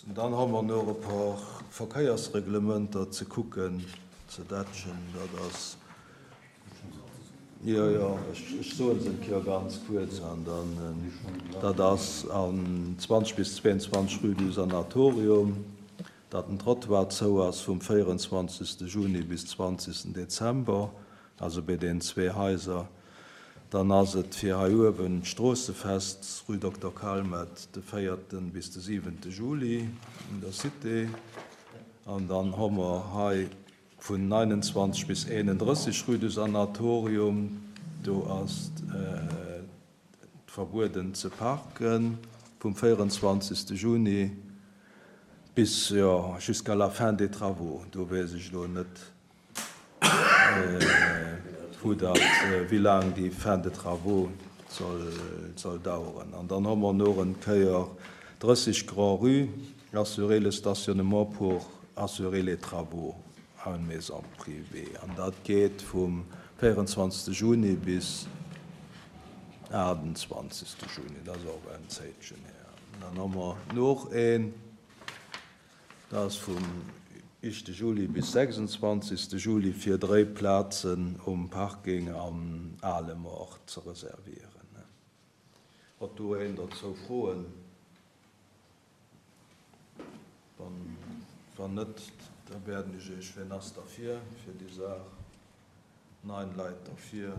Dann hu mer nach e par Verkéiersreglementer ze kucken, ze dätschen. Dat ass, jo, jo, ech soe se eng Kéier ganz kuerz an dann, dat ass an 20 bis 22 rue du Sanatorium, datt den Trottoir zou ass vum 24. Juni bis 20. Dezember, also bei deenen zwee Haiser. Dann ass et fir hei uewen d'Stroossefest, rue Dokter Calmet, de véierten bis de siwente Juli un der Cité. An dann hu mer hei vun 29 bis 31 rue du Sanatorium, do ass et verbueden ze parken vum 24. Juni bis, jo, jusqu'à la fin des travaux. Do weess ech elo net, Vu datt wéi laang déi Fin de travaux soll daueren. An dann hu mer nach en Kéier 30 Grand-Rue, assurer le stationnement pour assurer les travaux à une maison privée. An dat geet vum 24. Juni bis 28. Juni. Dat ass och en Zéitchen hier. An dann hu mer nach een. Dat ass vum éischte Juli bis 26. Juli fir dréi Plazen um Parking am Ale Moart ze reservieren. Huet do een dozou Froen? Wann net, da wäerden ech Iech, wien ass derfir, fir déi Saach? Nein Leit derfir.